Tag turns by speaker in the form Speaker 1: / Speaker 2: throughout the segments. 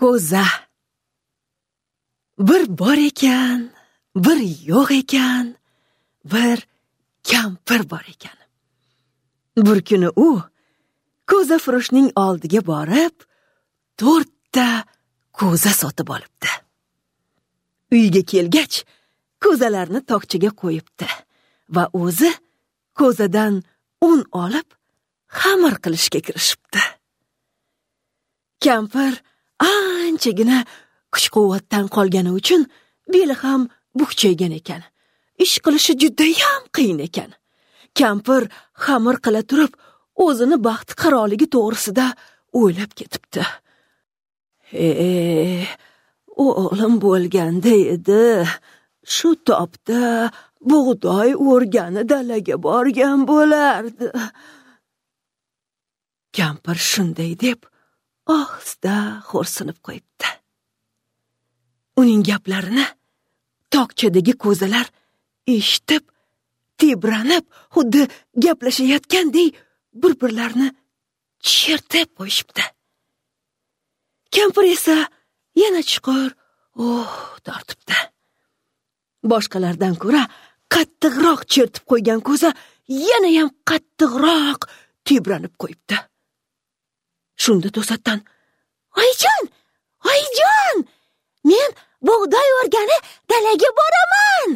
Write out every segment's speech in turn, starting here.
Speaker 1: Ko'za. Bir bor ekan, bir yo'q ekan, bir kampir bor ekan. Bir kuni u ko'za furushning oldiga borib, 4 ta ko'za sotib olibdi. Uyga kelgach, ko'zalarni tokchaga qo'yibdi va o'zi ko'zadan un olib, xamir qilishga kirishibdi. Kampir anchagina kuch-quvvatdan qolgani uchun beli ham bukchaygan ekan. Ish qilishi judayam qiyin ekan. Kampir xamir qila turib, o'zini baxti qaroligi to'g'risida o'ylab ketibdi. O'g'lim bo'lganda edi, shu topda bug'doy o'rgani dalaga borgan bo'lardi. Kampir shunday deb ohista xo'rsinib qo'yibdi. Uning gaplarini tokchadagi ko'zalar eshitib, tebranib, xuddi gaplashayotgandek bir-birlarini chertib qo'yishibdi. Kampir esa yana chuqur oh tortibdi. Boshqalardan ko'ra qattiqroq chertib qo'ygan ko'za yana ham qattiqroq tebranib qo'yibdi. Shunda to'satdan: "Oyijon, oyijon, men bug'doy o'rgani dalaga boraman!"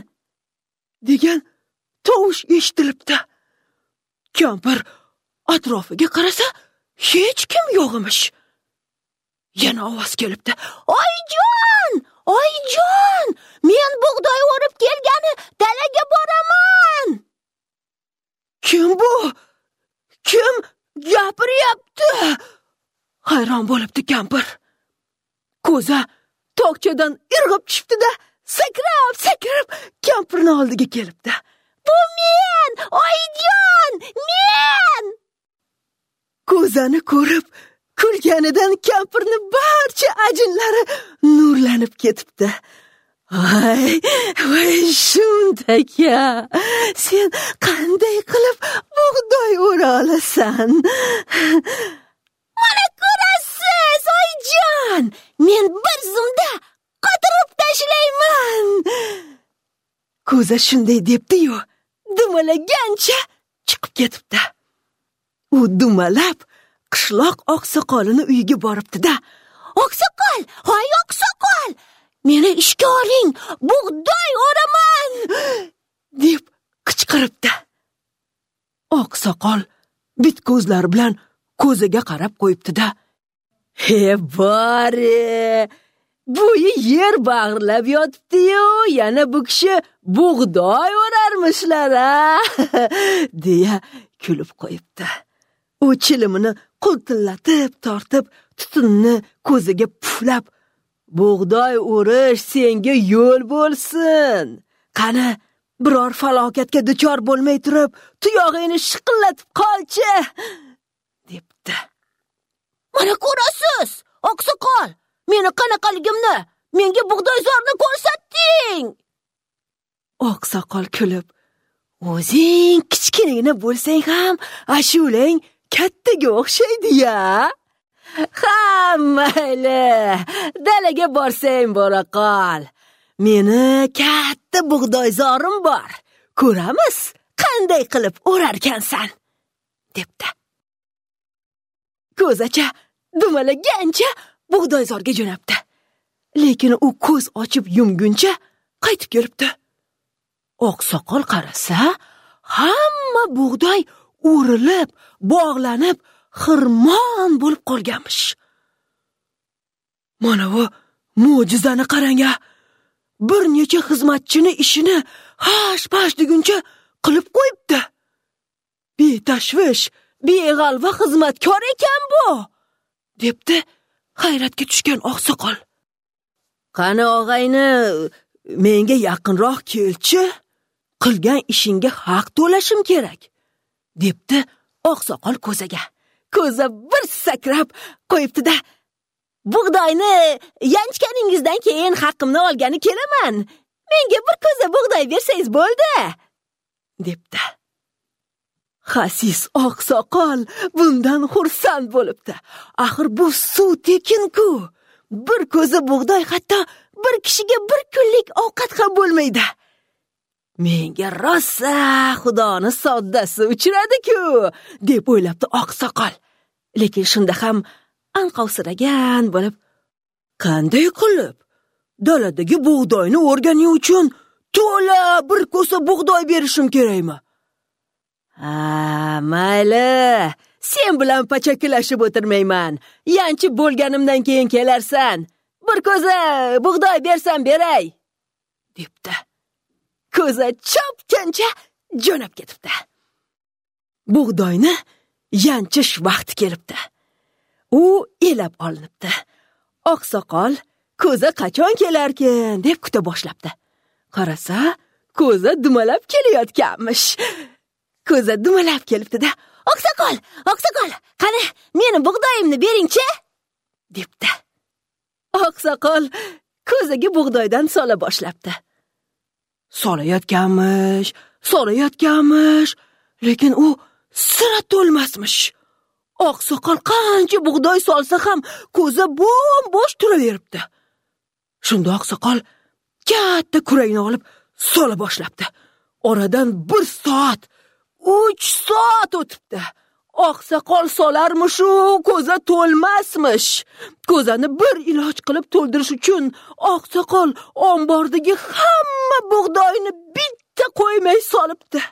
Speaker 1: degan tovush eshitilibdi. Kampir atrofiga qarasa, hech kim yo'q emish. Yana ovoz kelibdi: "Oyijon, oyijon, men bug'doy o'rib kelgani dalaga boraman!" Kim bu? Kim gapiryapti? Hayron bo'libdi kampir. Ko'za tokchadan irg'ib tushibdi-da, sakrab-sakrab kampirning oldiga kelibdi. "Bu men, oyijon, men!" Ko'zani ko'rib kulganidan kampirning barcha ajinlari nurlanib ketibdi. "Voy, voy shundaka, sen qanday qilib bug'doy o'ra olasan? Mana ko'rasiz, oyijon, men bir zumda qotirib tashlayman." Ko'za shunday debdi-yu, dumalagancha chiqib ketibdi. U dumalab qishloq oqsoqolini uyiga boribdi-da, "Oqsoqol, hoy oqsoqol, meni ishga oling, bug'doy o'raman!" deb qichqiribdi. Oqsoqol bit ko'zlari bilan ko'ziga qarab qo'yibdi-da, "He bori, bo'yi yer bag'irlab yotibdi-yu, yana bu kishi bug'doy o'rarmishlar-a?" deya kulib qo'yibdi. U chilimini qultillatib tortib, tutunni ko'ziga puflab, "Bug'doy o'rish senga yo'l bo'lsin. Qani, biror falokatga duchor bo'lmay turib, tuyog'ingni shiqillatib qolchi" debdi. "Mana ko'rasiz, oqsoqol, meni qanaqaligimni, menga bug'doyzorni ko'rsatding." Oqsoqol kulib, "O'zing kichkinagina bo'lsang ham, ashulang kattaga o'xshaydi-ya. Ha, mayli, dalaga borsang bora qol. Meni katta bug'doyzorim bor. Ko'ramiz, qanday qilib o'rarkansan" debdi. Ko'zacha dumalagancha bug'doyzorga jo'nabdi. Lekin u ko'z ochib yumguncha qaytib kelibdi. Oqsoqol qarasa, hamma bug'doy o'rilib, bog'lanib, xirmon bo'lib qolganmish. Mana bu mo'jizani qarang-a! Bir necha xizmatchini ishini hash-pash deguncha qilib qo'yibdi. Betashvish, beg'alva xizmatkor ekan bu, debdi hayratga tushgan oqsoqol. "Qani og'ayni, menga yaqinroq kelchi, qilgan ishingga haq to'lashim kerak" debdi oqsoqol ko'zaga. Ko'za bir sakrab qo'yibdi-da, "Bug'doyni yanchganingizdan keyin haqqimni olgani kelaman. Menga bir ko'za bug'doy bersangiz bo'ldi" debdi. Xasis oqsoqol bundan xursand bo'libdi. Axir bu suv tekin-ku. Bir ko'za bug'doy hatto bir kishiga bir kunlik ovqat ham bo'lmaydi. Menga rosa Xudoni soddasi uchradi-ku, deb o'ylabdi oqsoqol. Lekin shunda ham anqovsiragan bo'lib, qanday qilib daladagi bug'doyni o'rganing uchun to'la bir ko'sa bug'doy berishim kerakmi? Ha, mayli, sen bilan pachakilashib o'tirmayman. Yanchib bo'lganimdan keyin kelarsan. Bir ko'za bug'doy bersam beray, debdi. Ko'za chopgancha jo'nab ketibdi. Bug'doyni yanchish vaqti kelibdi. U elab olinibdi. Oqsoqol ko'za qachon kelarkin deb kuta boshlabdi. Qarasa, ko'za dumalab kelayotganmish. Ko'za dumalab kelibdi-da, "Oqsoqol, oqsoqol, qani meni bug'doyimni beringchi?" debdi. Oqsoqol ko'zaga bug'doydan sola boshlabdi. Solayotganmish, solayotganmish, lekin u sira to'lmasmish. Oqsoqol qancha bug'doy solsa ham ko'za bo'm-bo'sh turaveribdi. Shunda oqsoqol katta kuragini olib sola boshlabdi. Oradan 1 soat, 3 soat o'tibdi. Oqsoqol solarmish-u, ko'za to'lmasmish. Ko'zani bir iloj qilib to'ldirish uchun oqsoqol ombordagi hamma bug'doyni bitta qo'ymay solibdi.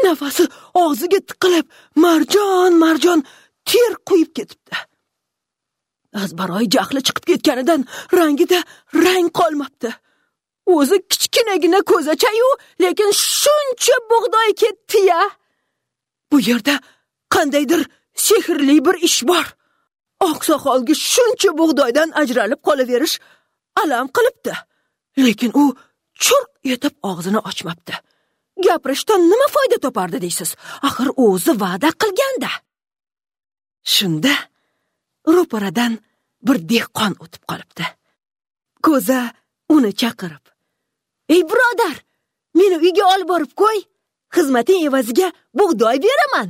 Speaker 1: Nafasi og'ziga tiqilib, marjon-marjon ter quyib ketibdi. Azbaroy jahli chiqib ketganidan rangida rang qolmabdi. O'zi kichkinagina ko'zacha-yu, lekin shuncha bug'doy ketdi-ya. Bu yerda qandaydir sehrli bir ish bor. Oqsoqolga shuncha bug'doydan ajralib qolaverish alam qilibdi. Lekin u churq etib og'zini ochmabdi. Gapirishdan nima foyda topardi deysiz? Axir o'zi va'da qilganda. Shunda ro'paradan bir dehqon o'tib qolibdi. Ko'za uni chaqirib, "Ey birodar, meni uyga olib borib qo'y, xizmating evaziga bug'doy beraman",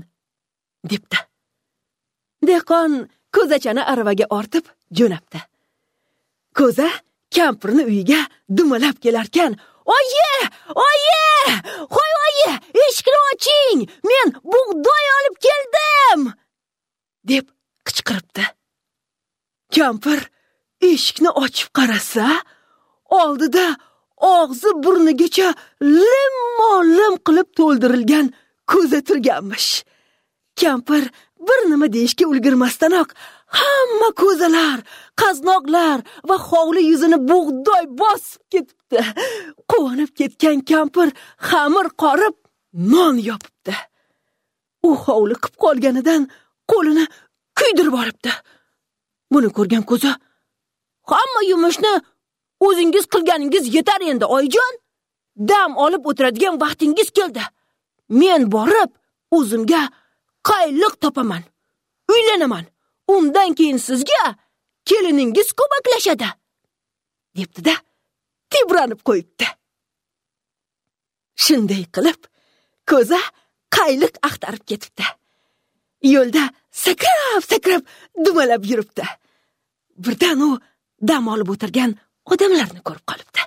Speaker 1: debdi. Dehqon ko'zachani aravaga ortib jo'nabdi. Ko'za kampirni uyiga dumalab kelarkan, "Oyi, oyi, qo'y oyi, eshikni oching, men bug'doy olib keldim", deb qichqiribdi. Kampir eshikni ochib qarasa, oldida og'zi burnigacha lim-lim qilib to'ldirilgan ko'za turganmish. Kampir bir nima deyishga ulgurmasdanoq hamma ko'zalar, qaznoqlar va hovli yuzini bug'doy bosib ketibdi. Quvonib ketgan kampir xamir qorib non yopibdi. U hovliqib qolganidan qo'lini kuydirib olibdi. Buni ko'rgan ko'za, "Hamma yumushni o'zingiz qilganingiz yetar endi, oyijon. Dam olib o'tiradigan vaqtingiz keldi. Men borib o'zimga qayliq topaman, uylanaman. Undan keyin sizga keliningiz ko'maklashadi", debdi-da, tebranib qo'yibdi. Shunday qilib ko'za qayliq axtarib ketibdi. Yo'lda sakrab-sakrab dumalab yuribdi. Birdan u dam olib o'tirgan odamlarni ko'rib qolibdi.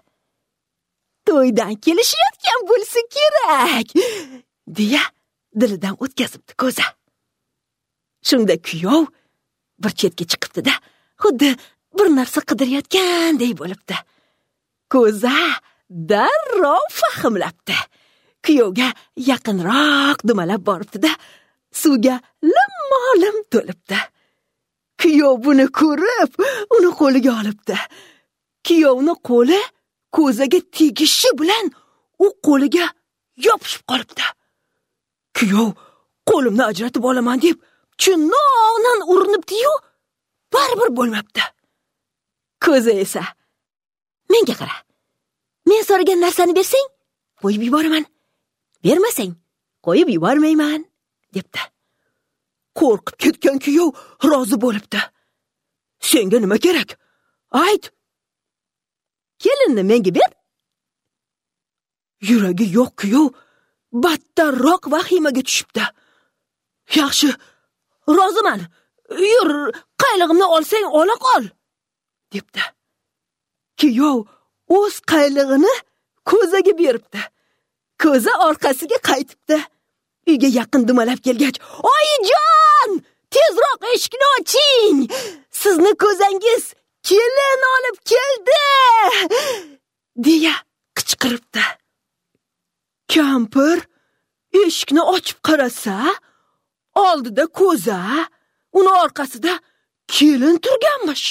Speaker 1: To'ydan kelishayotgan bo'lsa kerak, deya dilidan o'tkazibdi ko'za. Shunda kuyov bir chetga chiqibdi-da, xuddi bir narsa qidirayotganday bo'libdi. Ko'za darrov fahmlabdi. Kuyovga yaqinroq dumalab boribdi-da, suvga lim-lim to'libdi. Kuyov buni ko'rib, uni qo'liga olibdi. Kuyovni qo'li ko'zaga tegishi bilan u qo'liga yopishib qolibdi. Kuyov qo'limni ajratib olaman deb chunnoqdan urinibdi-yu, baribir bo'lmabdi. Ko'za esa, "Menga qara. Men so'ragan narsani bersang, qo'yib yuboraman. Bermasang, qo'yib yubormayman", debdi. Qo'rqib ketgan kuyov rozi bo'libdi. "Senga nima kerak? Ayt. Kelinni menga ber." Yuragi yo'q kuyov battarroq vahimaga tushibdi. "Yaxshi, roziman. Yur, qaylig'imni olsang ola qol", debdi. Kuyov o'z qaylig'ini ko'zaga beribdi. Ko'za orqasiga qaytibdi. Uyga yaqin dumalab kelgach, "Oyijon, tezroq eshikni oching! Sizni ko'zangiz kelin olib keldi!" deya qichqiribdi. Kampir eshikni ochib qarasa, oldida ko'za, uni orqasida kelin turganmish.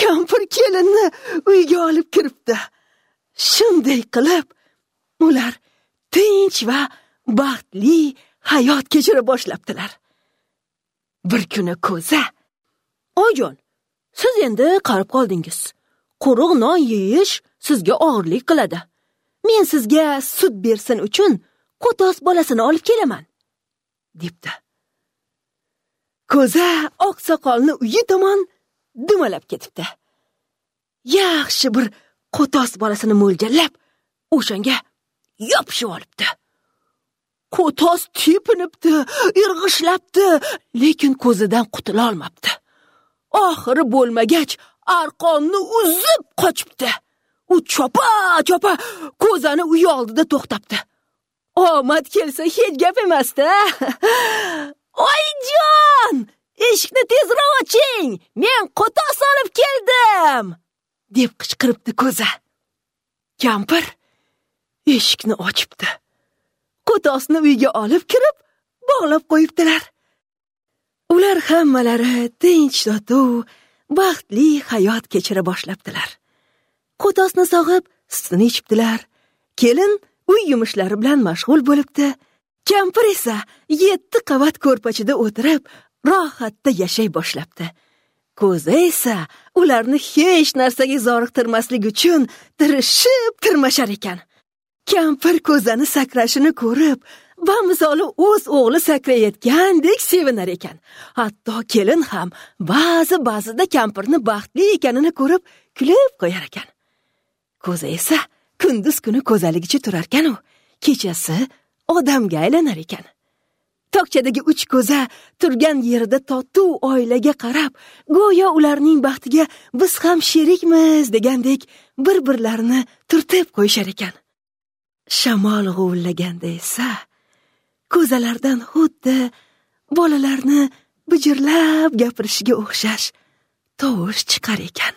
Speaker 1: Kampir kelinni uyga olib kiribdi. Shunday qilib, ular tinch va baxtli hayot kechira boshlabdilar. Bir kuni ko'za, "Oyijon, siz endi qarib qoldingiz. Quruq non yeyish sizga og'irlik qiladi. Men sizga sut bersin uchun qo'tos bolasini olib kelaman", debdi. Ko'za oqsoqolni uyi tomon dumalab ketibdi. Yaxshi bir qo'tos bolasini mo'ljallab, o'shanga yopishib olibdi. Qo'tos tepinibdi, irg'ishlabdi, lekin ko'zidan qutula olmabdi. Oxiri bo'lmagach, arqonni uzib qochibdi. U chopa-chopa ko'zani uyi oldida to'xtabdi. Omad kelsa hech gap emas-da. "Oyijon, eshikni tezroq oching, men qo'tos olib keldim!" deb qichqiribdi ko'za. Kampir eshikni ochibdi. Qo'tosni uyga olib kirib, bog'lab qo'yibdilar. Ular hammalari tinch totuv, baxtli hayot kechira boshlabdilar. Qo'tosni sog'ib, sutini ichibdilar. Kelin uy yumushlari bilan mashg'ul bo'libdi. Kampir esa 7 qavat ko'rpachada o'tirib, rohatda yashay boshlabdi. Ko'za esa ularni hech narsaga zoriqtirmaslik uchun tirishib tirmashar ekan. Kampir ko'zani sakrashini ko'rib, bamisoli o'z o'g'li sakrayotgandek sevinar ekan. Hatto kelin ham ba'zi-ba'zida kampirni baxtli ekanini ko'rib kulib qo'yar ekan. Ko'za esa kunduz kuni ko'zaligicha turarkan u, kechasi odamga aylanar ekan. Tokchadagi 3 ko'za turgan yerida totuv oilaga qarab, go'yo ularning baxtiga biz ham sherikmiz degandek bir-birlarini turtib qo'yishar ekan. Shamol g'uvillaganda esa ko'zalardan xuddi bolalarni bijirlab gapirishiga o'xshash tovush chiqar ekan.